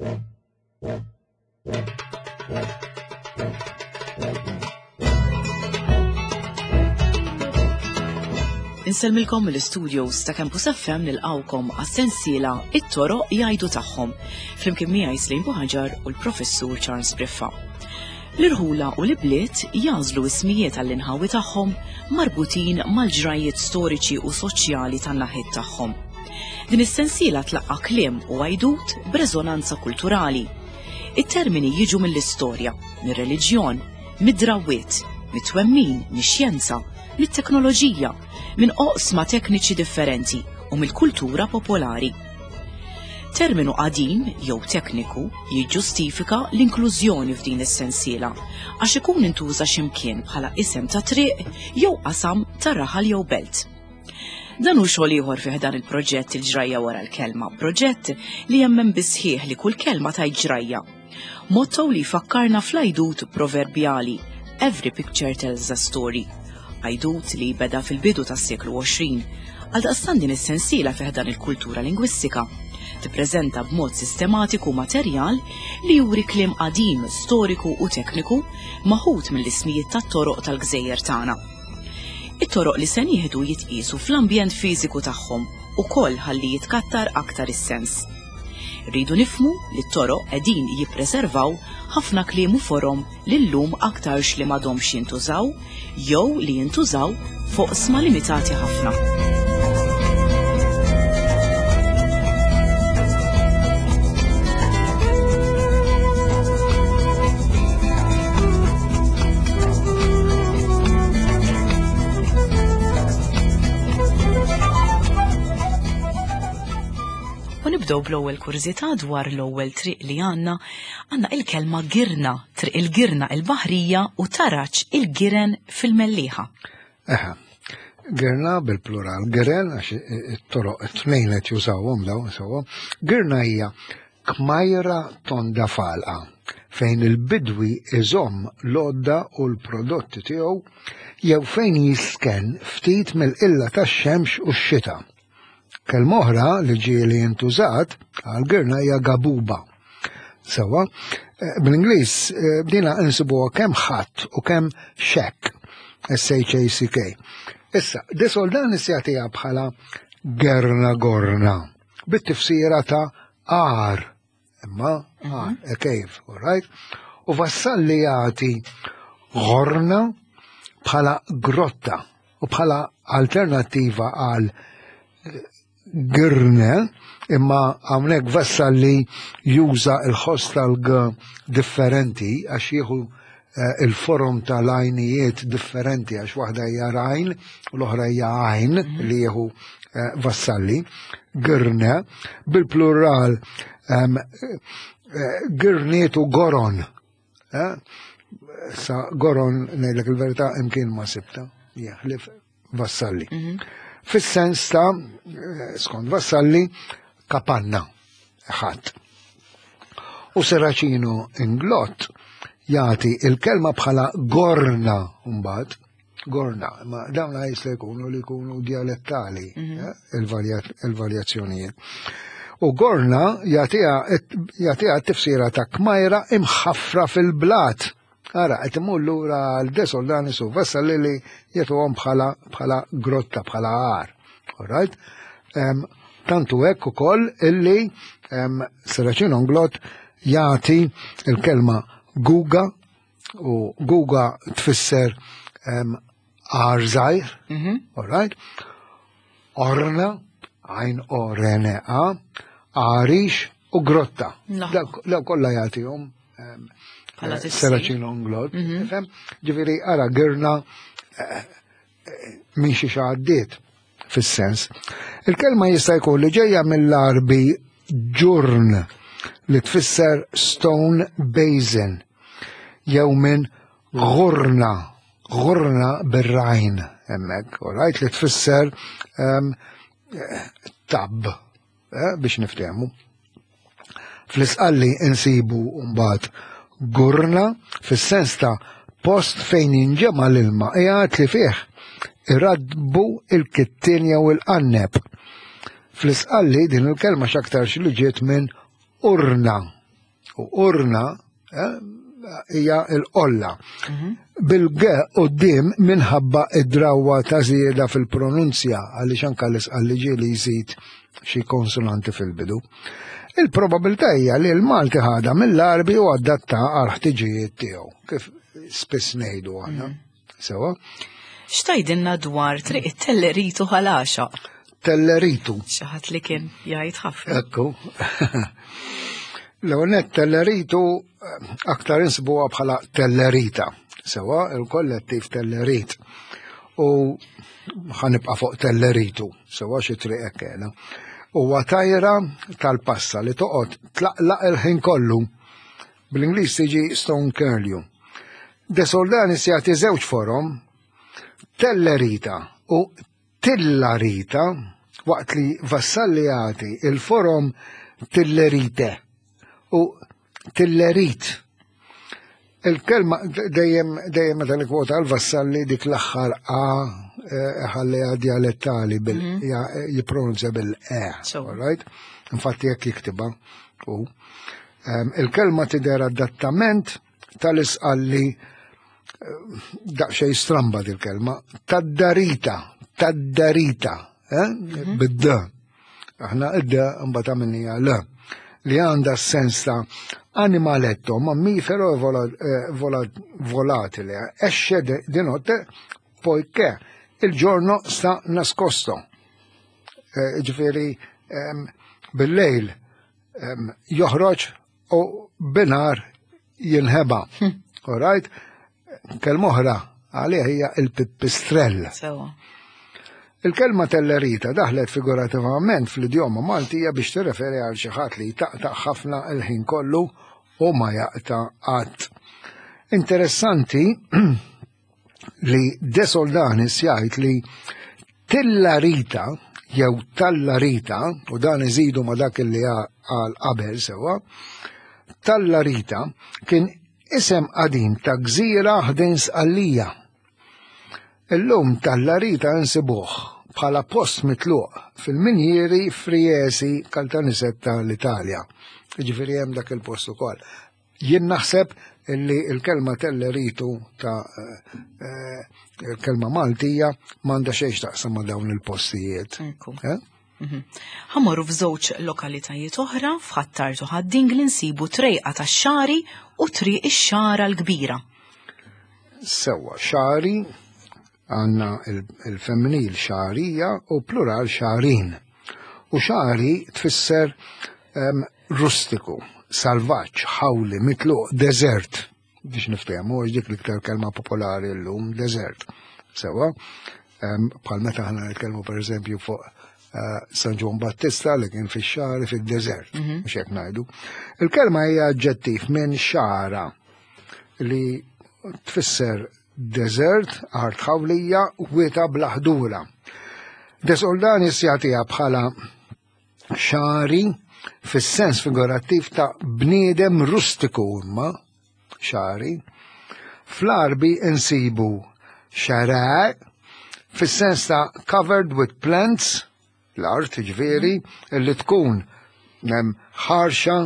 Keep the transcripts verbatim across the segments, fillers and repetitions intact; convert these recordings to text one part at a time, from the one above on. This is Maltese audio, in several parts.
Insellmilkom mill-studios ta' Campus F M nilqawkom għas-sensiela It-Toroq Jgħidu Tagħhom, flimkien miegħi Slim Buħaġar u l-Professur Charles Briffa. L-irħula u l-ibliet jażlu ismijiet għall-inħawi tagħhom marbutin mal-ġrajiet storiċi u soċjali tan-naħiet tagħhom. Din is-sensiela tlaqqa' kliem u għajdut b'reżonanza kulturali. It-termini jiġu mill-istorja, mir-reliġjon, mid-drawwiet, mit-twemmin, mix-xjenza, mit-teknoloġija, minn oqsma tekniċi differenti u mill-kultura popolari. Terminu qadim jew tekniku jiġġustifika l-inklużjoni f'din is-sensiela għax ikun intuża x'imkien bħala isem ta' triq jew qasam ta' raħal jew belt. Dan hu xogħol ieħor fih dan il-proġett Il-Ġrajja Wara l-Kelma, proġett li jemmen bisħieħ li kull kelma tajt ġrajja. Motto li jfakkarna fl-għajdut proverbjali Every picture tells a story. Għajdut li beda fil-bidu tas-seklu għoxrin, għaldaqstant din is-sensiela fih dan il-kultura lingwistika tippreżenta b'mod sistematiku materjal li juri kliem qadim, storiku u tekniku maħut mill-ismijiet tat-toroq tal-gżejjer tagħna. It-toroq li se nieħdu jitqiesu fl-ambjent fiżiku tagħhom ukoll ħalli jitkattar aktar is-sens. Rridu nifhmu li t-toroq qegħdin jippreservaw ħafna kliem u forom li llum aktarx li m'għadhomx jintużaw jew li jintużaw fuq sma limitati ħafna. U nibdew bl-ewwel kurżità dwar l-ewwel triq li għandna, għandna il-kelma girna, triq il-girna il-Baħrija u taraġ il-giren fil-Mellieħa. Eħe, girna bil-plural, giren għax it-toroq it-tnejn qed jużawhom dawn sewwa. Girna hija kmajra tonda falqa fejn il-bidwi iżomm l-għodda u l-prodotti tiegħu jew fejn jisken ftit mill-qilla tax-xemx u x-xita. Kelma oħra li ġieli intużat għal girna hija gabuba. Sewwa, eh, bl-Ingliż, eh, bdina insibuha kemm ħadd u kemm xekk, S H A C K. Issa, De Soldanis jagħtiha bħala gerna gorna, bit-tifsira ta' għar, imma għar, a cave, all right? U Vassalli jagħti gorna bħala grotta u bħala alternattiva għal girne, imma hawnhekk Vassalli juża l-ħoss tal-g differenti għax jieħu, eh, il-forum tal-għajnijiet differenti għax waħda hija rajn u l-oħra hija għajn Mhm. li jieħu, eh, Vassalli. Girne bil-plural, ehm, eh, girniet u goron. Eh? Sa goron ngħidlek il-verità imkien ma sibta, jaħlif Vassalli. Mhm. Fis-sens ta', eh, skont Vassalli, kapanna, ħadd. U Serracino Inglott jagħti il-kelma bħala gorna mbagħad, gorna, ma dawn jista' jkunu li jkunu dialettali, Mhm. eh, il-varja-, il-varjazzjonijiet. U gorna jagħtiha, jagħtiha t-tifsira ta' kmajra imħaffra fil-blat. Ara, qed imur lura għal De Soldanis u Vassalli li jagħtuhom bħala, bħala grotta, bħala għar. All right? Em, tantu hekk ukoll illi, em, Serracino Inglott jagħti il-kelma guga, u guga tfisser, em, għar żgħir, Mhm. all right? Orna, għajn O R N A, għarix u grotta. No. Dawk, dawk kollha jagħtihom, em, Bħala eh, tifsir. Serracino Inglott, Mhm. tifhem? Ġifieri, ara, girna, eh, eh, minn xi għaddiet fis-sens. Il-kelma jista' jkun li ġejja mill-Arbi ġurn li tfisser stone basin jew minn gurna, gurna bir-rajn hemmhekk, all right, li tfisser, ehm, tab, eh, biex niftehmu. Fl-Isqalli insibu mbagħad gurna fis-sens ta' post fejn jinġema' l-ilma qiegħed li fih iradbu il-kittin jew il-qanneb. Fl-Isqalli din il-kelma x'aktarx li ġiet minn urna, U urna eh, hija l-qolla. Bil-G quddiem minħabba id-drawwa ta' żieda fil-pronunzja, għaliex anke l-Isqalli ġieli jżid xi konsonanti fil-bidu. Il-probabilità hija li l-Malti ħadha mill-Għarbi u adatta għal ħtiġijiet tiegħu, kif spiss ngħidu aħna. Sewa? X'tgħidilna dwar Triq it-Telleritu Ħal Għaxaq? Telleritu. Xi ħadd li kien jgħid ħafna. Ekku. L-ewwel nett Telleritu aktar insibuha bħala Tellerita. Sewa, il-kollettiv Tellerit. U ħanibqa' fuq Telleritu, sewa xi triq hekk qiegħda. Huwa tajra tal-passa li toqgħod tlaqlaq il-ħin kollu. Bl-Ingliż tiġi stone curlew. De Soldanis jagħti żewġ forom, Tellerita u Tillarita, waqt li Vassalli jagħti il-forom Tillerite u Tillerit. Il-kelma dejjem dejjem meta nikkwota l-Vassalli dik l-aħħar A ħalliha dialettali bil jippronunzja bil-E. So. All right? Infatti jekk jiktibha u il-kelma tidher adattament tal-Isqalli daqsxejn stramba dil-kelma, tad-darita, tad-darita, eh? Bid-d. Aħna id-d mbagħad għamilniha l li għandha s-sens ta' animaletto, mammifero vola, eh, vola, volatile, esce de, di notte poiché il giorno sta nascosto. Eh, ġifieri ehm, bil-lejl ehm, joħroġ u binhar jinħeba. All right? Kelma oħra għalih hija il-pipistrell. Sewa. Il-kelma tellerita daħlet figurativament fl-idjoma Maltija biex tirreferi għal xi ħadd li jtaqtaq ħafna il-ħin kollu u ma jaqta qatt. Interessanti li De Soldanis jgħid li Tillarita jew Tallarita, u dan iżidu ma dak li għal qabel sewa, Tallarita kien isem qadim ta' gżira ħdejn Sqallija. Illum Tallarita nsibuh bħala post mitluq fil-minjieri Friesi Caltanissetta l-Italja. Ġifieri hemm dak il-post ukoll. Jien naħseb illi il-kelma telleritu ta' eh, il-kelma Maltija m'għandha xejn x'taqsam ma' dawn il-postijiet. Ekku. Eh? Ħa mmorru f'żewġ lokalitajiet oħra, f'Ħ'Attard u Ħad-Dingli nsibu Trejqa tax-Xagħri u Triq ix-Xagħra l-Kbira. Sewa, xagħri għandna il-femminil xagħrija u plural xagħrin. U xagħri tfisser em, rustiku, salvaġġ, ħawli, mitluq, desert. Biex niftehmu, għax dik l-iktar kelma popolari llum, desert. Sewa, em, bħal meta ħana nitkellmu per eżempju fuq eh, San Ġwann Battista li kien fix-xagħri fid-desert, mhux hekk ngħidu. Il-kelma hija aġġettiv minn xagħra li tfisser desert, art ħawlija, wita bla ħdura. De Soldanis jagħtiha bħala xagħri fis-sens figurattiv ta' bniedem rustiku imma xagħri. Fl-Għarbi insibu xara fis-sens ta' covered with plants, l-art ġifieri, li tkun nem ħarxa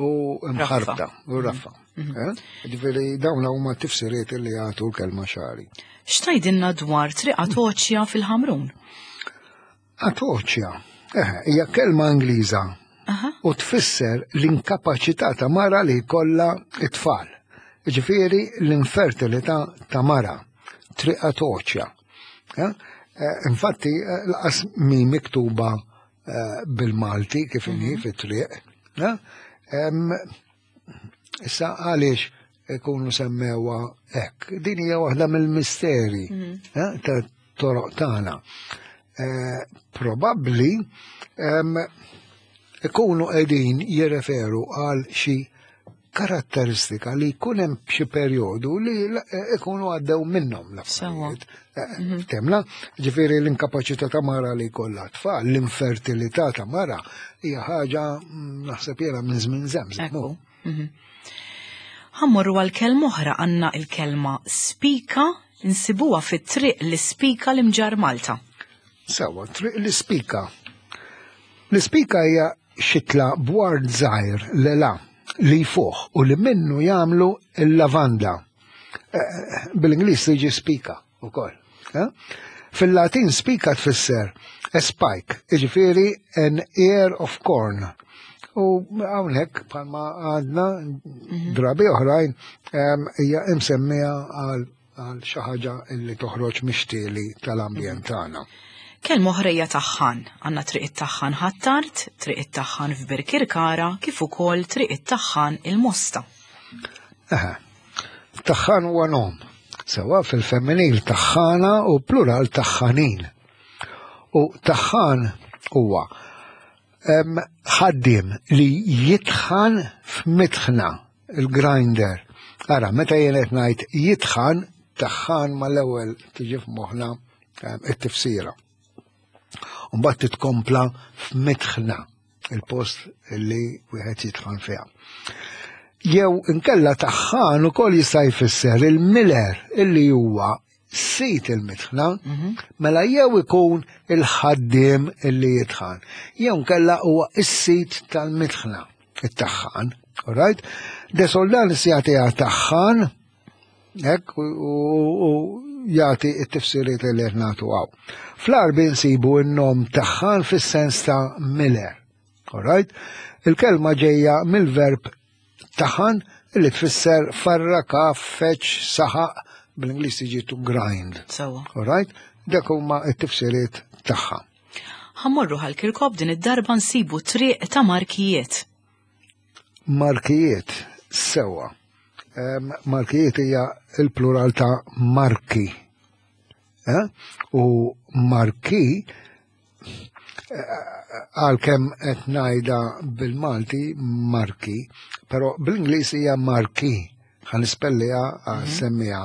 u mħarbta u raffa. Eh? Ġifieri dawn huma tifsiriet li jagħtu l-kelma xagħri. X'tgħidilna dwar Triq Atoċja fil-Ħamrun? Atoċja, eh, hija kelma Ingliża Aha. u tfisser l-inkapaċità ta' mara li jkollha it-tfal. Ġifieri l-infertilità ta' mara, Triq Atoċja. Eh? Eh, Infatti, eh, lanqas mhi miktuba eh, bil-Malti kif inhi fit-triq. eh? Em, Issa għaliex ikunu semmewha hekk. Din hija waħda mill-misteri eh, ta' toroq tagħna. Eh, Probabbli em, ikunu qegħdin jirreferu għal xi karatteristika li jkun hemm xi perjodu li l- ikunu għaddew minnhom l-affarijiet. Eh, Temla, ġifieri l-inkapaċità ta' mara li jkollha tfal, l-infertilità ta' mara hija ħaġa mm, naħseb jiena minn żmien żemżem. Ekku. Mhm. Ħa mmorru għal kelma oħra, għandna il-kelma spika, nsibuha fit-Triq l-Ispika l-Imġarr Malta. Sewa, Triq l-Ispika. L-ispika hija xitla bward żgħir lela li jfuħ u li minnu jagħmlu l-lavanda. Bil-Ingliż tiġi spika wkoll. Fil-Latin spika tfisser a spike, jiġifieri an ear of corn. U hawnhekk bħalma għandna drabi oħrajn hija imsemmija għal għal xi ħaġa li toħroġ mixtieli tal-ambjent tagħna. Kelma oħra hija taħħan. Għandna triq it-taħħan Ħ'Attard, triq it-taħħan f'Birkirkara, kif ukoll triq it-taħħan il-Mosta. Eħe. Taħħan huwa nom. Sewa fil-femminil taħħana u plural taħħanin. U taħħan huwa ħaddiem li jitħan f'mitħna, il-grinder. Ara, meta jien qed ngħid jitħan, taħħan mal-ewwel tiġi f'moħħna it-tifsira. Mbagħad titkompla f'mitħna, il-post li wieħed jitħan fiha. Jew inkella taħħan ukoll jista' jfisser il-miller illi huwa sit il-mitħna, mela jew ikun il-ħaddiem illi jitħan, jew inkella huwa is-sit tal-mitħna, it-taħħan, all right? De Soldanis jagħtiha taħħan, hekk, u jagħti t-tifsiriet li qed nagħtu hawn. Fl-Għarbi nsibu n-nom taħħan fis-sens ta' miller, all right? Il-kelma ġejja mill-verb taħan li tfisser farraka, feċ, saħaq, bl-Ingliż tiġi to grind. Sewa. All right? Dak huma t-tifsiriet tagħha. Ħa mmorru Ħal Kirkop, din id-darba nsibu triq ta' Markijiet. Markijiet, sewa. Em, Markijiet hija il-plural ta' marki. Eh? U marki, għalkemm qed ngħidha bil-Malti marki, però bl-Ingliż hija marquee. Ħa nispelliha, semmiha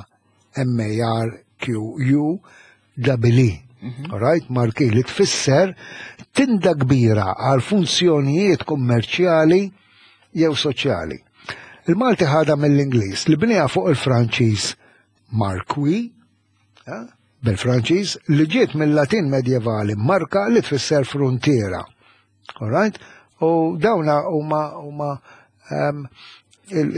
M A R Q U double E. All right, marquee li tfisser tinda kbira għal funzjonijiet kummerċjali jew soċjali. Il-Malti ħadha mill-Ingliż li bniha fuq il-Franċiż marquis, eh, bil-Franċiż, li ġiet mill-Latin medjevali marka li tfisser frontiera. All right? U dawna huma huma ehm,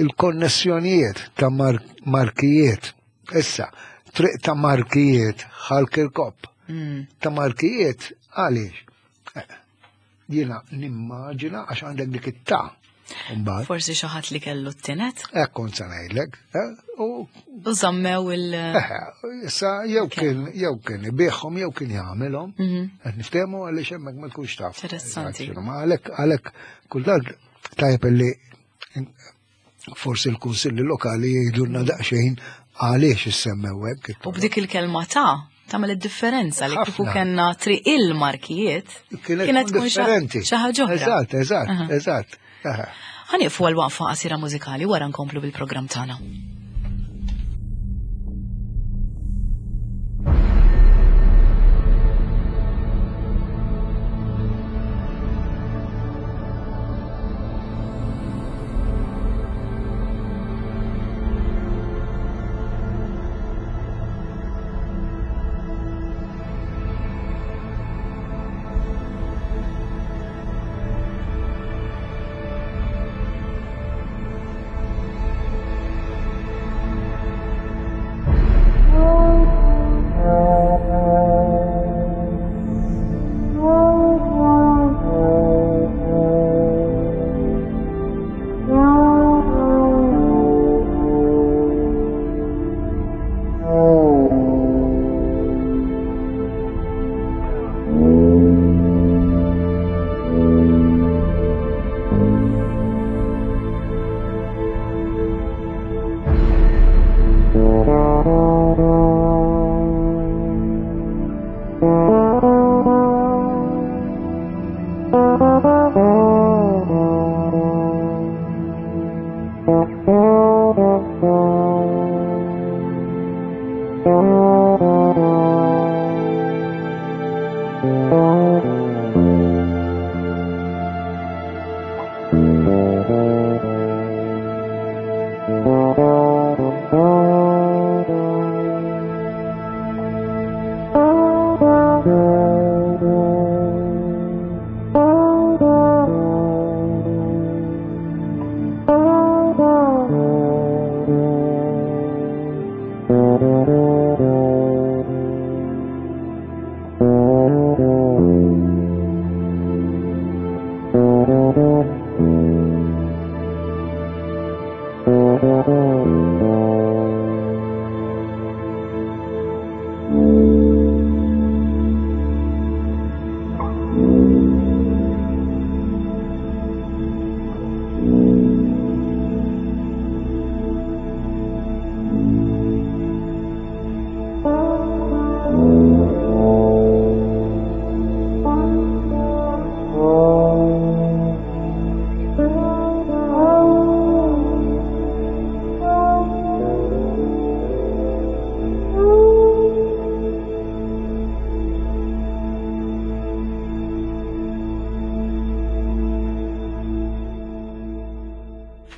il-konnessjonijiet ta' mar markijiet. Issa, triq ta' markijiet Ħal Kirkop. Mm. Ta' markijiet għaliex? Eh, jiena nimmaġina għax għandek dik it-ta'. Mbagħad. Forsi xi ħadd li kellu t-tinet. Hekk kont se ngħidlek, eh, u U żammew il- Eh, issa jew kien, jew kien ibigħhom jew kien jagħmilhom. Mhm. Qed niftehmu għaliex hemmhekk ma tkunx taf. Interessanti. Eżatt, ma għalhekk, għalhekk kultant tajjeb illi forsi l-kunsilli lokali jgħidulna daqsxejn għaliex issemmew hekk. U b'dik il-kelma ta' tagħmel id-differenza li kieku Ħafna. kellna triq il-markijiet, Kienet kienet tkun tkun xa- differenti. xi ħaġa oħra. Eżatt, eżatt, Aha. eżatt. Aha. Ħa nieqfu għal waqfa qasira mużikali wara nkomplu bil-programm tagħna.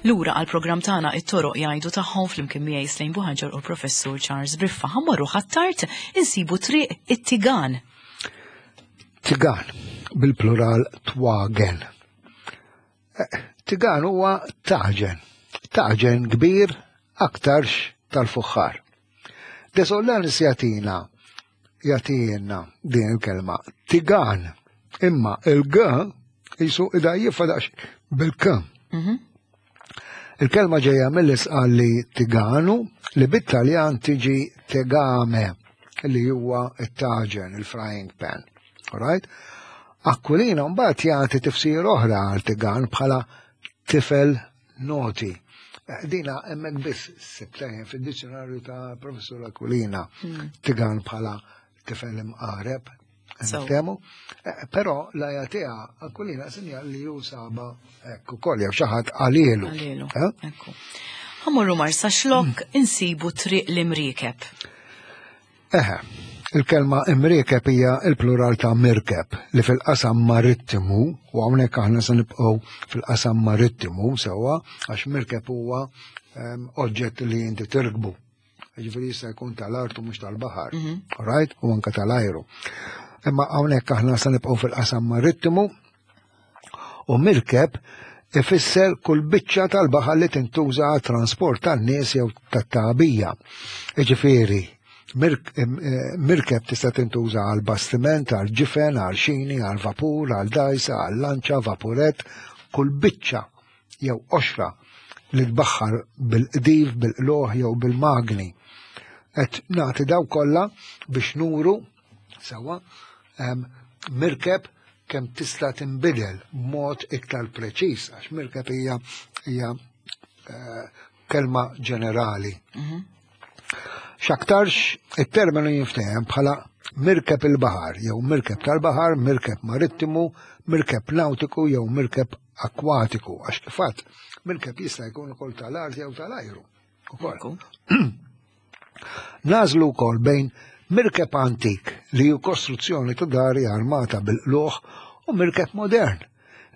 Lura għal programm tagħna it-toroq jgħidu tagħhom flimkien miegħi Slejn Buħaġar u Professur Charles Briffa. Ħammorru Ħ'Attard insibu triq it-Tigan. Tigan, bil-plural twagen. Eh, Tigan huwa taġen, taġen kbir aktarx tal-fuħħar. Desollanis jagħtina jagħtina din il-kelma tigan, imma il-g jisu idajjifha daqs bil-k. Mhm. Il-kelma ġejja mill-isqal li tiganu li bit-Taljan tiġi tegame li huwa it-taġen, il-frying pan. Alright? Aquilina mbagħad jagħti tifsir oħra għal tigan bħala tifel noti. Eh, Dina hemmhekk biss sibtejn fid-dizzjonarju ta' Professur Aquilina tigan bħala tifel imqareb. So. Niftehmu? Eh, Però la jagħtiha Aquilina sinjal li hu saba hekk ukoll jew xi ħadd qalielu. Għalilu. Eh? Ekku. Ħammorru Marsaxlokk insibu triq l-Imriekeb. Eħe, il-kelma imriekeb hija il-plural ta' mirkeb li fil-qasam marittimu, u hawnhekk aħna se nibqgħu fil-qasam marittimu sewwa, għax mirkeb huwa em, oġġett li inti tirkbu. Ġifieri jista' jkun tal-art u mhux tal-baħar, right? U anke tal-ajru. Imma hawnhekk aħna se nibqgħu fil-qasam marittimu u mirkeb ifisser kull biċċa tal-baħar li tintuża għat trasport tan-nies jew tat-tagħbija. Jiġifieri, mirk- em, eh, mirkeb tista' tintuża għal bastiment, għal ġifen, għal xini, għal vapur, għal dajsa, għal lanċa, vapuret, kull biċċa jew qoxra li tbaħħar bil-qdif, bil-qloħ jew bil-magni. Et nagħti daw kollha biex nuru sewwa em, mirkeb kemm tista' tinbidel b'mod iktar preċiż għax mirkeb hija hija eh, kelma ġenerali. X'aktarx it-terminu jinftehim bħala mirkeb il-baħar jew mirkeb tal-baħar, mirkeb marittimu, mirkeb nautiku jew mirkeb akkwatiku għax kif għedt mirkeb jista' jkun ukoll tal-art jew tal-ajru. Ukoll. Ekku. Nażlu wkoll bejn mirkeb antik li hu kostruzzjoni ta' dari armata bil-qluħ u mirkeb modern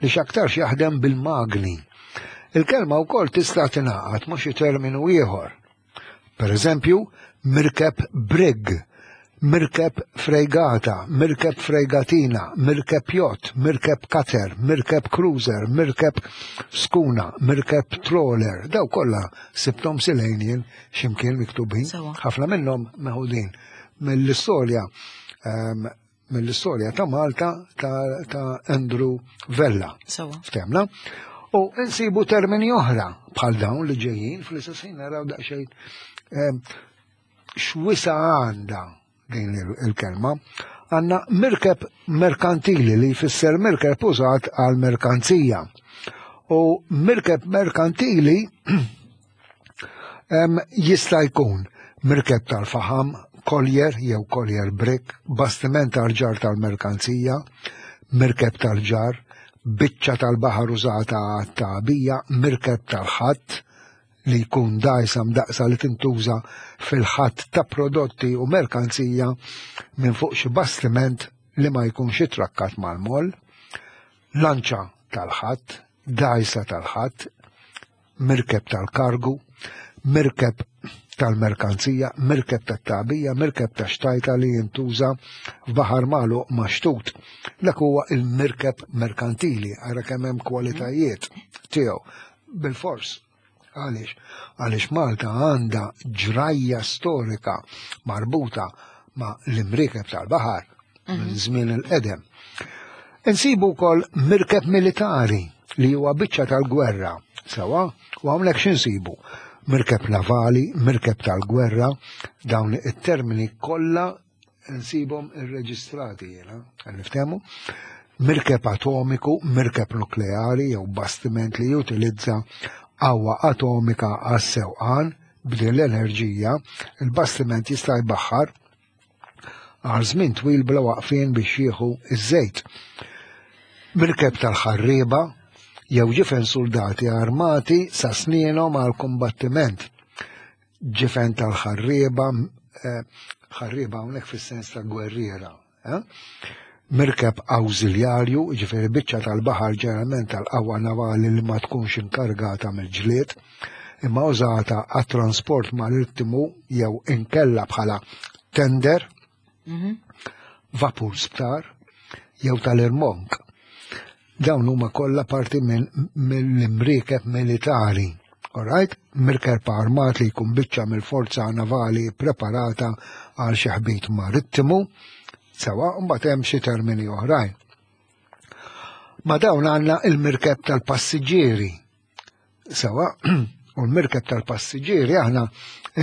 li x'aktarx jaħdem bil-magni. Il-kelma wkoll tista' tingħaqad ma' xi terminu ieħor. Per eżempju, mirkeb brig, mirkeb frejgata, mirkeb frejgatina, mirkeb yacht, mirkeb cutter, mirkeb cruiser, mirkeb skuna, mirkeb trawler. Daw kollha sibthom silejn jien x'imkien miktubin. Sewa. Ħafna minnhom meħudin mill-istorja ehm, mill-istorja ta' Malta ta', ta' Andrew Vella. Sewa. Ftemna? U nsibu termini oħra bħal dawn li ġejjin fl-istess ħin naraw daqsxejn ehm, x'wisa għandha din il- il-kelma. Għandna mirkeb merkantili li jfisser mirkeb użat għal merkanzija. U mirkeb merkantili em, jista' jkun mirkeb tal-faħam, collier jew collier brig, bastiment tal-ġar tal-merkanzija, mirkeb tal-ġar, biċċa tal-baħar użata għat-tagħbija, mirkeb tal-ħatt li jkun dajsa mdaqsa li tintuża fil-ħatt ta' prodotti u merkanzija minn fuq xi bastiment li ma jkunx itrakkat mal-moll, lanċa tal-ħatt, dajsa tal-ħatt, mirkeb tal-kargu, mirkeb tal-merkanzija, mirkeb tat-tagħbija, mirkeb ta' xtajta li jintuża f'baħar magħluq maxtut. Dak huwa il-mirkeb merkantili, ara kemm hemm kwalitajiet tiegħu. Bil-fors. Għaliex? Għaliex Malta għandha ġrajja storika marbuta ma' l-imriekeb tal-baħar minn żmien il-qedem. Insibu wkoll mirkeb militari li huwa biċċa tal-gwerra Sewa, u hawnhekk x'insibu? Mirkeb navali, mirkeb tal-gwerra, dawn it-termini kollha nsibhom irreġistrati jiena, niftehmu. Mirkeb atomiku, mirkeb nukleari jew bastiment li jutilizza qawwa atomika għas-sewqan b'din l-enerġija, il-bastiment jista' jbaħħar għal żmien twil bla waqfien biex jieħu iż-żejt. Mirkeb tal-ħarrieba jew ġifen soldati armati sa snienhom għal kombattiment. Ġifen tal-ħarrieba, eh, ħarrieba hawnhekk fis-sens ta' gwerriera. Eh? Mirkeb awżiljarju, ġifieri biċċa tal-baħar ġeneralment tal-qawwa navali li ma tkunx inkargata mill-ġlied, imma użata għat-trasport marittimu jew inkella bħala tender, Mhm. vapur sptar jew tal-irmonk. Dawn huma kollha parti minn mill-imriekeb militari. Alright? Mirkeb armat li jkun biċċa mill-forza navali preparata għal xi ħbit marittimu, sewa mbagħad hemm xi termini oħrajn. Ma dawn għandna il-mirkeb tal-passiġġieri. Sewa, u l-mirkeb tal-passiġġieri aħna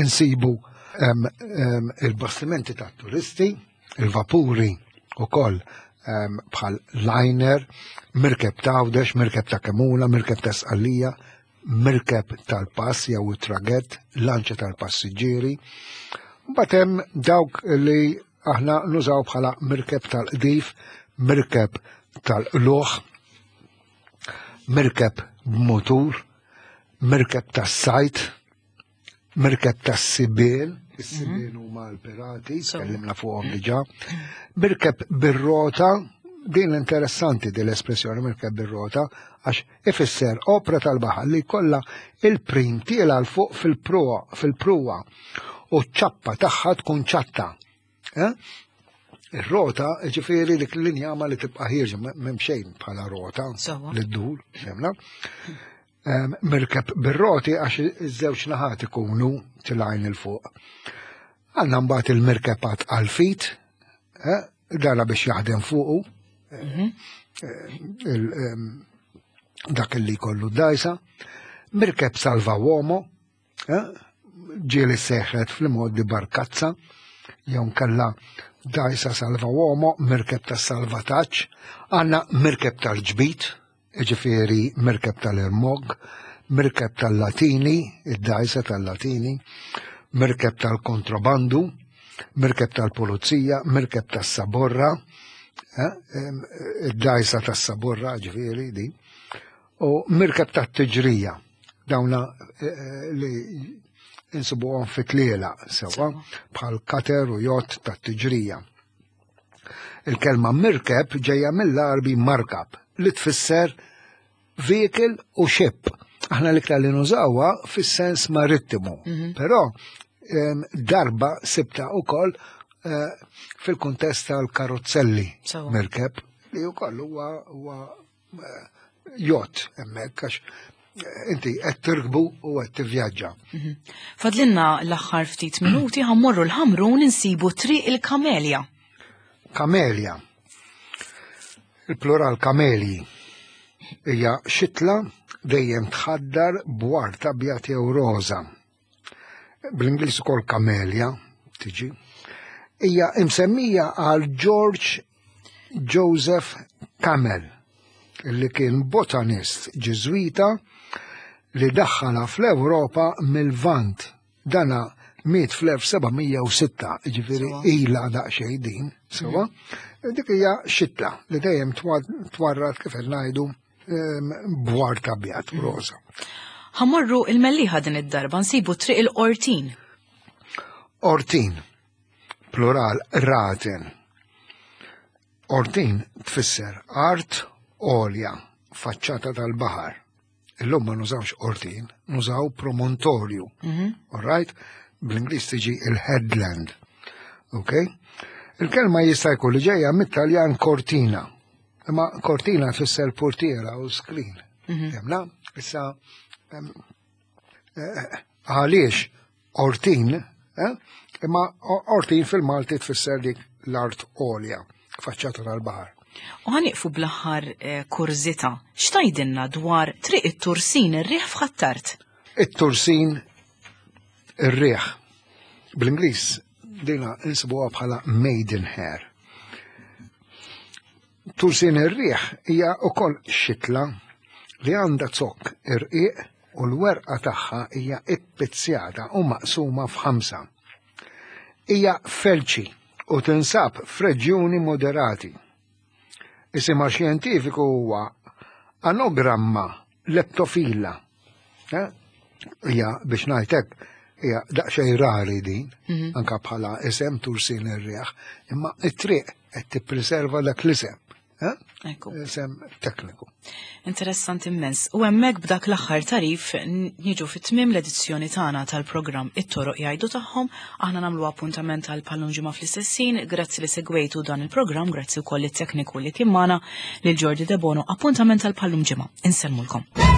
insibu em, em, il-bastimenti tat-turisti, il-vapuri u koll bħal liner, mirkeb ta' Għawdex, mirkeb ta' Kemuna, mirkeb ta' Sqallija, mirkeb tal-pass jew it-tragett, lanċa tal-passiġġieri. Mbagħad hemm dawk li aħna nużaw bħala mirkeb tal-qdif, mirkeb tal-qluħ, mirkeb b'mutur, mirkeb tas-sajt, mirkeb tas-sibien, is-sibien huma l-pirati, So. tkellimna fuqhom diġà, mirkeb bir-rota, din interessanti din l-espressjoni mirkeb bir-rota, għax ifisser opra tal-baħar li kollha il-prim tiela 'l fuq fil-pruwa fil-pruwa u ċ-ċappa tagħha tkun ċatta. Eh? Ir-rota, ġifieri dik l-injama li tibqa' ħierġa m'hemm xejn bħala rota Sewa. li ddur, semna. Em, Mirkeb bir-roti għax iż-żewġ naħat ikunu tilgħin 'il fuq. Għandna mbagħad il-mirkebat għal-fit, eh, dana biex jaħdem fuqu, Mhm. il- em, dak li kollu dajsa, mirkeb salva uomo, eh, ġieli seħħet fl-modi barkazza, jew kella dajsa salva uomo, mirkeb ta' salvataġġ, għandna mirkeb tal-ġbit, ġifieri mirkeb tal-irmog, mirkeb tal-latini, id-dajsa tal-latini, mirkeb tal-kontrabandu, mirkeb tal-pulizija, mirkeb tas-saborra, eh, em, id-dajsa tas-saborra ġifieri di, u mirkeb tat-tiġrija, dawna eh, eh, li insibuhom fit-tliela sewa bħal kater u jott tat-tiġrija. Il-kelma mirkeb ġejja mill-Arbi markab li tfisser vehicle u ship. Aħna l-iktar li nużawha fis-sens marittimu. Mhm. Però em, darba sibta ukoll eh, fil-kuntest tal-karozzelli Sewa. mirkeb li wkoll huwa huwa eh, jott hemmhekk għax eh, inti qed tirkbu u qed tivvjaġġa. Mhm. Fadlinna l-aħħar ftit minuti ħa mmorru l-Ħamrun insibu triq il-Kamelja. Kamelja. Il-plural kamelji hija xitla dejjem tħaddar b'ward abjad jew roża. Bl-Ingliż ukoll kamelja tiġi. Hija imsemmija għal George Joseph Camel, li kien botanist ġiżwita li daħħala fl-Ewropa mill-Vant. Dana miet fl-elf seba' mija u sitta, ġifieri Sewa. ila daqsxejn din, sewa. Dik hija xitla li dejjem twa- twarrad kif qed ngħidu em, b'ward abjad u roża. Ħa mmorru il-Mellieħa din id-darba nsibu triq il-Qortin. Ortin, plural raten. Ortin tfisser art għolja, faċċata tal-baħar. Illum ma nużawx ortin, nużaw promontorju. Mhm. All right? Bl-Ingliż tiġi il-headland. Ok? Il-kelma jista' jkun li ġejja mit-Taljan cortina. Imma cortina tfisser portiera u screen. Mhm. Jemna? Issa em, eh, għaliex ortin, eh? Imma ortin fil-Malti tfisser dik l-art għolja, faċċata tal-baħar. U ħa nieqfu bl-aħħar eh, kurżità. X'tgħidilna dwar Triq it-Tursin ir-Riħ f'Ħ'Attard? It-Tursin ir-Riħ. Bl-Ingliż dina insibuha bħala maidenhair. Tursin ir-Riħ hija wkoll xitla li għandha zokk irqiq u l-werqa tagħha hija ippizzjata u maqsuma f'ħamsa. Hija felċi u tinsab f'reġjuni moderati. Isimha xjentifiku huwa Anogramma leptophylla. Eh? Hija, biex ngħidlek, hija daqsxejn rari din, Mhm. anka bħala isem Tursin ir-Riħ, imma it-triq qed tippreserva dak l-isem. Eh? Ekku. Isem tekniku. Interessanti immens. U hemmhekk b'dak l-aħħar tagħrif niġu fit-tmiem l-edizzjoni tagħna tal-programm It-Toroq Jgħidu Tagħhom. Aħna nagħmlu appuntament għal bħal-lum ġimgħa fl-istess ħin. Grazzi li segwejtu dan il-programm, grazzi wkoll it-tekniku li kien magħna, lil Jordi Debono. Appuntament għal bħal-lum ġimgħa. Insellmulkom.